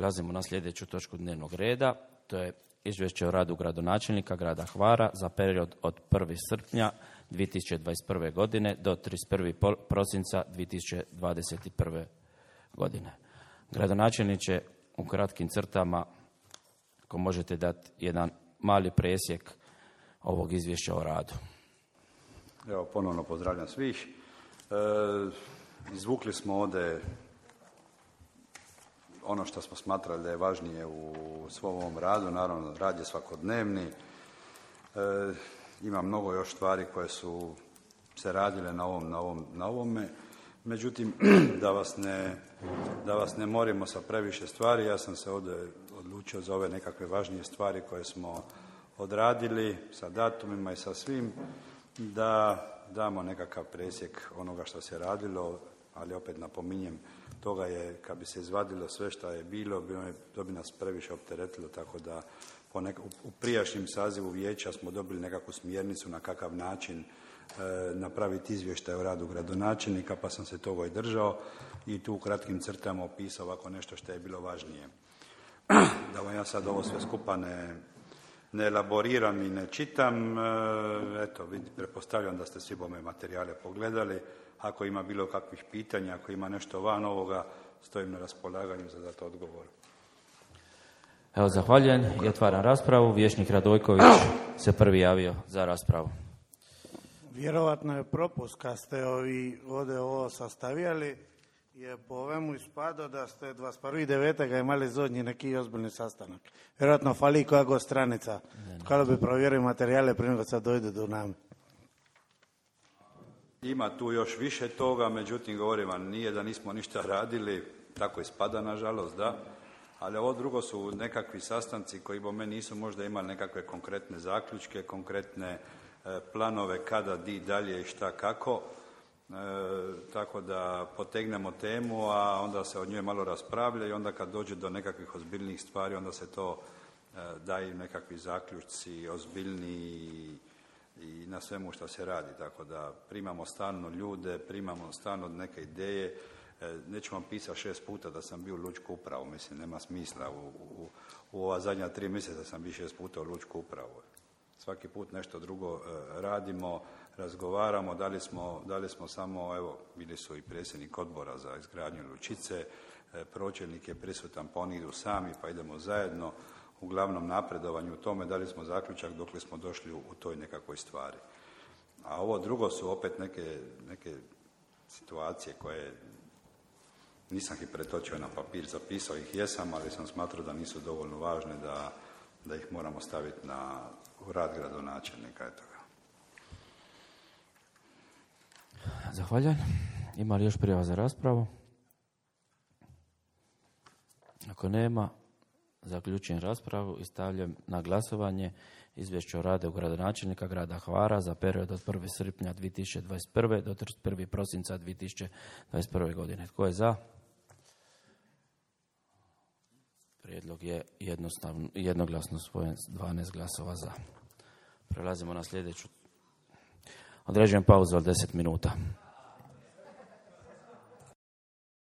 Prelazimo na sljedeću točku dnevnog reda. To je izvješće o radu gradonačelnika grada Hvara za period od 1. srpnja 2021. godine do 31. prosinca 2021. godine. Gradonačelniče, u kratkim crtama, ako možete dati jedan mali presjek ovog izvješća o radu. Evo, ponovno pozdravljam svih. Izvukli smo ovdje ono što smo smatrali da je važnije u svom ovom radu. Naravno, rad je svakodnevni. Ima mnogo još stvari koje su se radile na ovome. Međutim, da vas ne morimo sa previše stvari, ja sam se ovdje odlučio za ove nekakve važnije stvari koje smo odradili sa datumima i sa svim, da damo nekakav presjek onoga što se radilo, ali opet napominjem, toga je, kad bi se izvadilo sve što je bilo, to bi nas previše opteretilo, tako da u prijašnjem sazivu vijeća smo dobili nekakvu smjernicu na kakav način napraviti izvještaj o radu gradonačelnika, pa sam se toga i držao i tu u kratkim crtama opisao ovako nešto što je bilo važnije. Da vam ja sad ovo sve skupa ne elaboriram i ne čitam, eto, pretpostavljam da ste svi bome materijale pogledali. Ako ima bilo kakvih pitanja, ako ima nešto van ovoga, stojim na raspolaganju za dati odgovor. Evo, zahvaljujem i otvaram raspravu. Vijećnik Radojković se prvi javio za raspravu. Vjerovatno je propust kad ste ovdje ovo sastavljali, je po ovemu ispado da ste 21.9. imali zadnji neki ozbiljni sastanak. Vjerojatno fali koja god stranica. Kada bi provjerili materijale prije nego sad dojde do nama. Ima tu još više toga, međutim, govorim vam, nije da nismo ništa radili, tako ispada, nažalost, da. Ali ovo drugo su nekakvi sastanci koji po meni nisu možda imali nekakve konkretne zaključke, konkretne planove kada, di, dalje i šta, kako. Tako da potegnemo temu, a onda se o njoj malo raspravlja i onda kad dođe do nekakvih ozbiljnih stvari, onda se to daju nekakvi zaključci ozbiljniji i na svemu što se radi. Tako da primamo stalno ljude, primamo stalno neke ideje. Neću vam pisati 6 puta da sam bio u lučku upravu, mislim, nema smisla. U ova zadnja 3 mjeseca sam bio 6 puta u lučku upravu. Svaki put nešto drugo radimo, razgovaramo, da li smo samo, evo, bili su i predsjednik odbora za izgradnju lučice, pročelnik je prisutan, pa oni idu sami, pa idemo zajedno. Uglavnom napredovanju u tome da li smo zaključak dokle smo došli u toj nekakvoj stvari. A ovo drugo su opet neke situacije koje nisam ih pretočio na papir, zapisao ih jesam, ali sam smatrao da nisu dovoljno važne da ih moramo staviti u rad gradonačelnika. Eto ga. Zahvaljujem. Ima li još prijava za raspravu? Ako nema, zaključujem raspravu i stavljam na glasovanje izvješće o radu gradonačelnika grada Hvara za period od 1. srpnja 2021. do 31. prosinca 2021. godine. Tko je za? Prijedlog je jednoglasno usvojen, 12 glasova za. Prelazimo na sljedeću. Određujem pauzu od 10 minuta.